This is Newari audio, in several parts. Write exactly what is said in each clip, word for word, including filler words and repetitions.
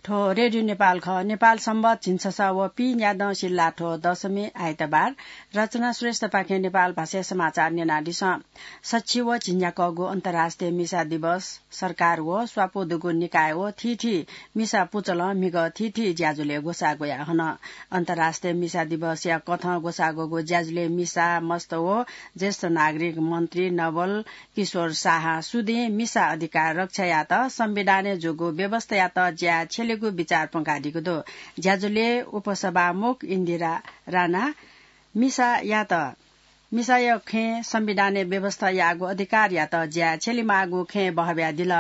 थ्व रेडियो नेपाल खः। नेपाल संवत झिंछसः व पीन्यादँ सिल्लाथ्व दशमी आइतबार। रचना श्रेष्ठपाखें नेपाल भाषाय् समाचार न्यनादिसँ। सछि व झिंन्याक्वःगु अन्तर्राष्ट्रिय मिसा दिवस सरकार व स्वापू दुगु निकाय व थीथी मिसा पुचलं म्हिगः थीथी ज्याझ्वलय् ग्वसाः ग्वयाहन। अन्तर्राष्ट्रिय मिसा दिवसया कथं ग्वसाः ग्वःगु ज्याझ्वलय् मिसा, मस्त व ज्येष्ठ नागरिक मन्त्री नवल किशोर शाहं सुदिं मिसा अधिकार रक्षा यात, संविधानय् जूगु व्यवस्थायात ज्याय् छ्यलेगु बिचाः प्वंकादीगु दु। ज्याझ्वलय् उपसभामुख इन्दिरा राणा मिसायात, मिसाया खँय् संविधानय् व्यवस्था याःगु अधिकारयात ज्याय् छ्यलेमाःगु खँय् बहब्यादिल।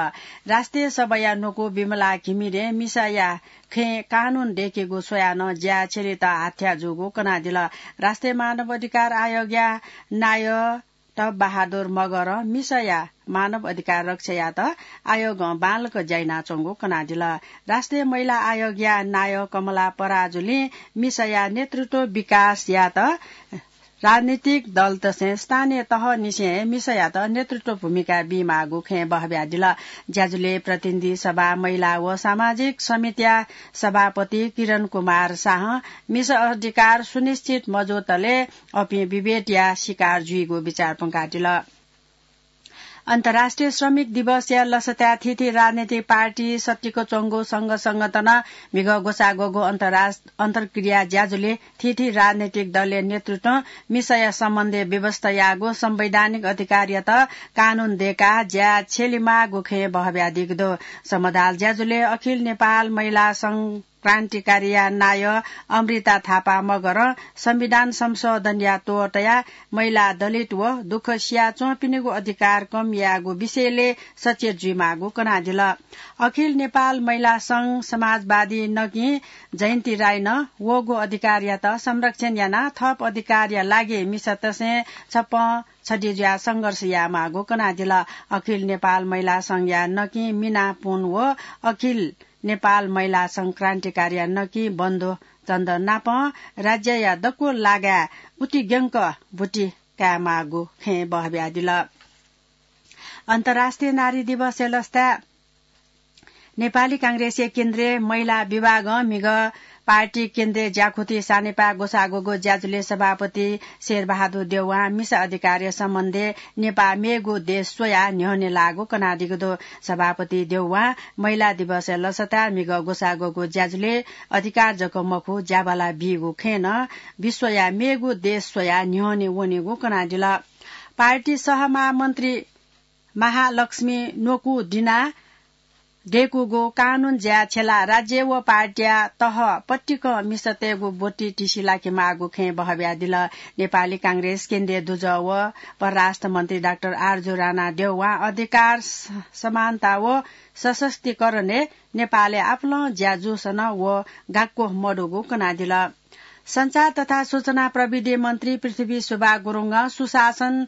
राष्ट्रिय सभाया न्वकू विमला घिमिरें मिसाया खँय् कानून दय्केगु स्वयाः नं ज्याय् छ्यलेत हाथ्या जूगु कनादिल। राष्ट्रिय मानव अधिकार आयोगया नायः टप बहादुर मगरं मिसाया मानव अधिकार रक्षा यात आयोगं बांलाक ज्या यानाच्वंगु कनादिल। राष्ट्रिय महिला आयोगया नायः कमला पराजुलीं मिसाया नेतृत्व विकास यात राजनीतिक दलतसें स्थानीय तहनिसें हे मिसायात नेतृत्व भूमिका बीमाःगु खँय् बहब्यादिल। ज्याझ्वलय् प्रतिनिधि सभा महिला व सामाजिक समितिया सभापति किरण कुमार शाहं मिसा अधिकार सुनिश्चित मजूतले अपिं विभेदया शिकार जुइगु बिचाः प्वंकादिल। अन्तर्राष्ट्रिय श्रमिक दिवसया लसताय् थीथी राजनीतिक पार्टी सत्तिक च्वंगु संघ संगठनं म्हिगः ग्वसाः ग्वःगु अन्तर्राष्ट्-, अन्तर्क्रिया ज्याझ्वलय् थीथी राजनीतिक दलया नेतृत्वं मिसाया सम्बन्धय् व्यवस्था याःगु संवैधानिक अधिकारयात कानून दय्काः ज्याय् छ्यलेमाःगु खँय् बहब्यादीगु दु। समदाल ज्याझ्वलय् अखिल नेपाल महिला संघ क्रान्तिकारीया नायः अमृता थापा मगरं संविधान संशोधनया त्वःतया महिला, दलित व दुःख सियाच्वंपिनिगु अधिकार कम यायेगु विषयलय् सचेत जुइमाःगु कनादिल। अखिल नेपाल महिला संघ समाजवादी नकिं जयन्ती राईनं वःगु अधिकारयात संरक्षण यानाः थप अधिकारया लागि मिसातसें छप्पँ छधी जुयाः संघर्ष यायेमाःगु कनादिल। अखिल नेपाल महिला संघया नकिं मिना पुन व अखिल नेपाल महिला संघ क्रान्तिकारीया नकिं बन्धु चन्द नापं राज्यया दक्व लागाय् उतिग्यंक ब्वति कायेमाःगु खँय् बहब्यादिल। अन्तर्राष्ट्रिय नारी दिवसया लसताय् नेपाली कांग्रेसया केन्द्रीय महिला विभागं म्हिगः पार्टी केन्द्रीय ज्याखुति सानेपाय् ग्वसाः ग्वःगु ज्याझ्वलय् सभापति शेरबहादुर देउवां मिसा अधिकारया सम्बन्धय् नेपाः मेगु देश स्वयाः न्ह्यःने लाःगु कनादीगु दु। सभापति देउवां महिला दिवसया लसताय् म्हिगः ग्वसाः ग्वःगु ज्याझ्वलय् अधिकार जक मखु, ज्याबाला बीगु खँय् नं विश्वया मेगु देश स्वयाः न्ह्यःने वनेगु कनादिल। पार्टी सहमहामन्त्री महालक्ष्मी न्वकू दिनाः दय्कूगु कानून ज्याय् छ्यलाः राज्य व पार्टीया तह पतिकं मिसातय्गु ब्वति तिसिलाकेमाःगु खँय् बहब्यादिल। नेपाली कांग्रेस केन्द्रीय दुजः व परराष्ट्र मन्त्री डाक्टर आरजु राणा देउवां अधिकार स-, समानता व सशक्तिकरणय् नेपालय् आपालं ज्या जूसन व गाक्वः मदुगु कनादिल। सञ्चार तथा सूचना प्रविधि मन्त्री पृथ्वी सुब्बा गुरुङं सुशासन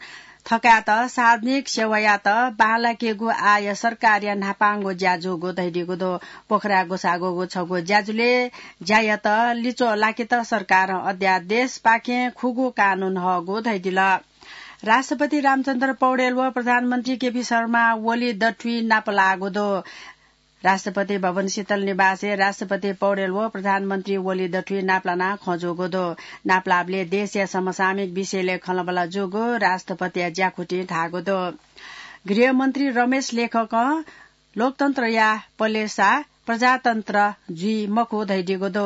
थकायेत सार्वजनिक सेवायात बांलाकेगु आय सरकारया न्हापांगु ज्या जूगु धयादीगु दु। पोखराय् ग्वसाः ग्वःगु छगू ज्याझ्वलय् ज्यायात लिच्वः लाकेत सरकारं अध्यादेशपाखें खुगू कानून हःगु धयादिल। राष्ट्रपति रामचन्द्र पौडेल व प्रधानमन्त्री केपी शर्मा ओली दथुइ नापलाःगु दु। राष्ट्रपति भवन शीतल निवासय् राष्ट्रपति पौडेल व प्रधानमन्त्री ओली दथुइ नापलानाः खँ जूगु दु। नापलाःबलय् देशया समसामयिक विषयलय् खँल्हाबल्हा जूगु राष्ट्रपतिया ज्याखुतिं धाःगु दु। गृहमन्त्री रमेश लेखकं लोकतन्त्रया पलेसा प्रजातन्त्र जुइ मखु धयादीगु दु।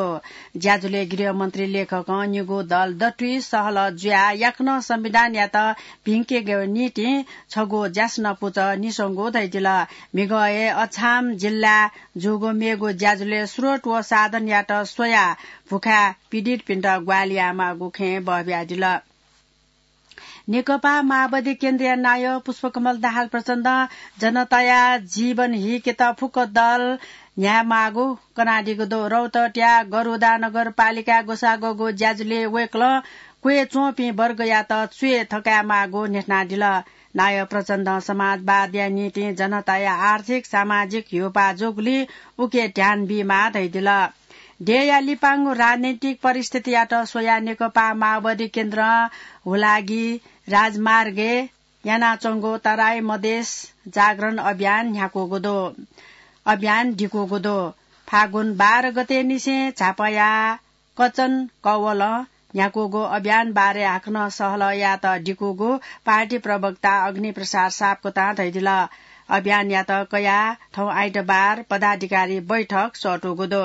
ज्याझ्वलय् गृहमन्त्री लेखकं निगू दल दथुइ सहलह जुयाः याकनं संविधानयात भिंकेगु निंतिं छगू ज्यासना पुचः निस्वंगु धयादिल। म्हिगः हे अछाम जिल्लाय् जूगु मेगु ज्याझ्वलय् स्रोत व साधनयात स्वयाः भुखाय् पीडितपिन्त ग्वाहालि यायेमाःगु खँय् बहब्यादिल। नेकपा माओवादी केन्द्रीय नायः पुष्पकमल दाहाल प्रचण्डं जनताया जीवन हिकेत फुक्क दल न्ह्यायेमाःगु कनादीगु दु। रौतहटया गरुडा नगरपालिकाय् ग्वसाः ग्वःगु ज्याझ्वलय् वय्कलं क्वय् च्वंपिं वर्गयात च्वय् थकायेमाःगु न्ह्यथनादिल। नायः प्रचण्डं समाजवादया निंतिं जनताया आर्थिक, सामाजिक ह्यूपाः जूगुलिं उके ध्यान बीमाः धयादिल। देय्‌या लिपांगु राजनैतिक परिस्थितियात स्वयाः नेकपा माओवादी केन्द्रं हुलागी राजमार्गय् यानाच्वंगु तराई मधेस जागरण अभियान न्ह्याकूगु दु, अभियान दिकूगु दु। फागुन बाह्र गते निसें झापाया कचन कवलं न्ह्याकूगु अभियान बारे हाकनं सहलह यायेत दिकूगु पार्टी प्रवक्ता अग्निप्रसाद सापकोटां धयादिल। अभियानयात कयाः थौं आइतबार पदाधिकारी बैठक सःतूगु दु।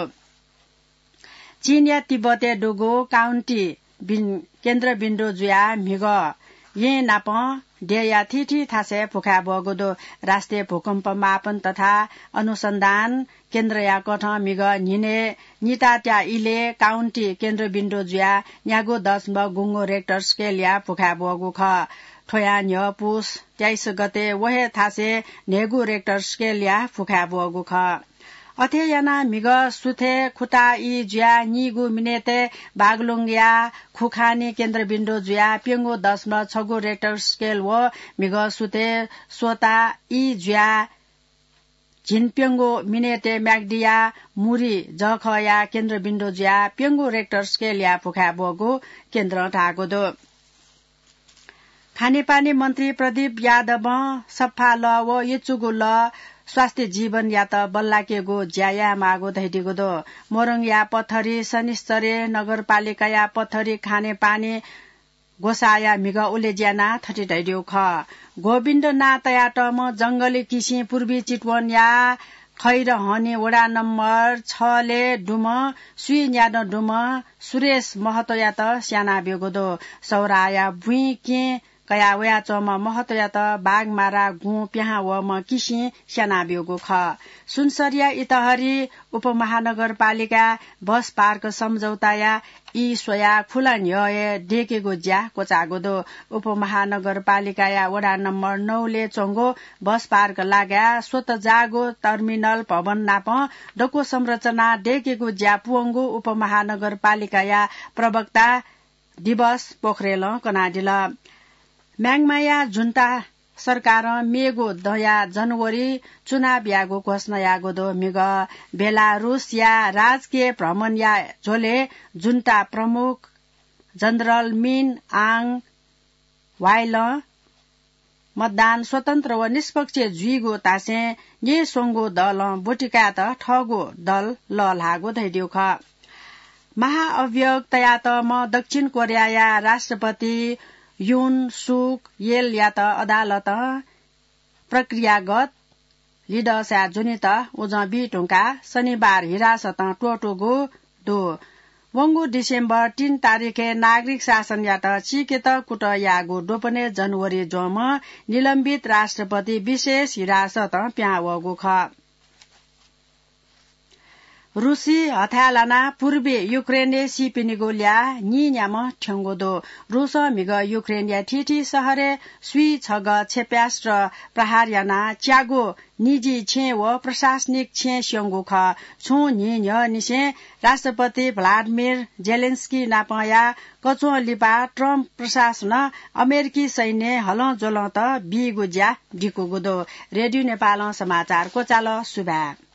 चीनया तिब्बतय् दुगु काउन्टी बिन-, केन्द्रबिन्दु जुयाः म्हिगः यें नापं देय्‌या थीथी थासय् भुखाय् ब्वःगु दु। राष्ट्रिय भूकम्प मापन तथा अनुसन्धान केन्द्रया कथं म्हिगः न्हिनय् नितात्या इलय् काउन्टी केन्द्रबिन्दु जुयाः न्यागू दशमलव गुंगू रेक्टर स्केलया भुखाय् ब्वःगु खः। थ्वया न्ह्यः पुस तेइस गते व हे थासय् न्हय्‌गू रेक्टर स्केलया भुखाय् ब्वःगु खः। अथे यानाः म्हिगः सुथय् खुता ई जुयाः नीगू मिनेटय् बागलुङया खुखानी केन्द्रबिन्दु जुयाः प्यंगू दशमलव छगू रेक्टर स्केल व म्हिगः सुथय् स्वता ई जुयाः झिंप्यंगू मिनेटय् म्याग्दीया मुरी जःखःया केन्द्रबिन्दु जुयाः प्यंगू रेक्टर स्केलया भुखाय् ब्वःगु केन्द्रं धाःगु दु। खानेपानी मन्त्री प्रदीप यादवं सफा लः व यचुगु लः स्वास्थ्य जीवनयात बल्लाकेगु ज्या यायेमाःगु धयादीगु दु। मोरङया पथरी शनिश्चरी नगरपालिकाया पथरी खानेपानी ग्वसाःया म्हिगः उलेज्यानां थथे धयादीगु खः। गोविन्द नां तयातःम्ह जंगली किसिं पूर्वी चितवनया खैरहनी वडा नम्बर छलय् दुम्ह स्वीन्यादँ दुम्ह सुरेश महतोयात स्यानाब्यूगु दु। सौराया बुँइ केहेँ कयाः वयाच्वंम्ह महतोयात बाघमारा गुँ पिहां वःम्ह किसिं स्यानाब्यूगु खः। सुनसरीया इतहरी उपमहानगरपालिका बस पार्क सम्झौताया ई स्वयाः खुला न्ह्यः हे दय्‌केगु ज्या क्वचाःगु दु। उपमहानगरपालिकाया वडा नम्बर नौलय् च्वंगु बस पार्क लागाय् स्वतःजाःगु टर्मिनल भवन नाप दक्व संरचना दय्‌केगु ज्या पूवंगु उपमहानगरपालिकाया प्रवक्ता दिवस पोखरेलं कनादिल। म्याङ्माया जुन्ता सरकारं मेगु दँया जनवरी चुनाव यायेगु घोषणा याःगु दु। म्हिगः बेलारुसया राजकीय भ्रमणया झ्वलय् जुन्ता प्रमुख जनरल मिन आङ ह्वाइलं मतदान स्वतन्त्र व निष्पक्ष जुइगु धासें न्येस्वंगु दलं ब्वति कायेत थःगु दल लःल्हाःगु धयादीगु खः। महाअभियोग तयातःम्ह दक्षिण कोरियाया राष्ट्रपति युन सुक येलयात अदालतं प्रक्रियागत लिदःसाय् ज्वनेत उजं बी धुंकाः शनिबार हिरासतं त्वःतूगु दु। वंगु डिसेम्बर तीन तारिखय् नागरिक शासनयात चीकेत कुतः याःगु द्वपनय् जनवरी ज्वंम्ह निलम्बित राष्ट्रपति विशेष हिरासतं पिहां वःगु खः। रुसी हथाय् लानाः पूर्वी युक्रेनय् सीपिनिगु ल्याः नीन्याम्ह थ्यंगु दु। रुसं म्हिगः युक्रेनया थीथी शहरय् स्वीछगः क्षेप्यास्त्र प्रहार यानाः च्यागू निजी छेँ व प्रशासनिक छेँ स्यंगु खः। छुं न्हि न्ह्यःनिसें राष्ट्रपति भ्लादिमिर जेलेन्स्की नापंया कच्वं लिपा ट्रम्प प्रशासनं अमेरिकी सैन्य हलंज्वलंत बीगु ज्या दिकूगु दु। रेडियो नेपालं समाचार क्वचाल। सुभाय्।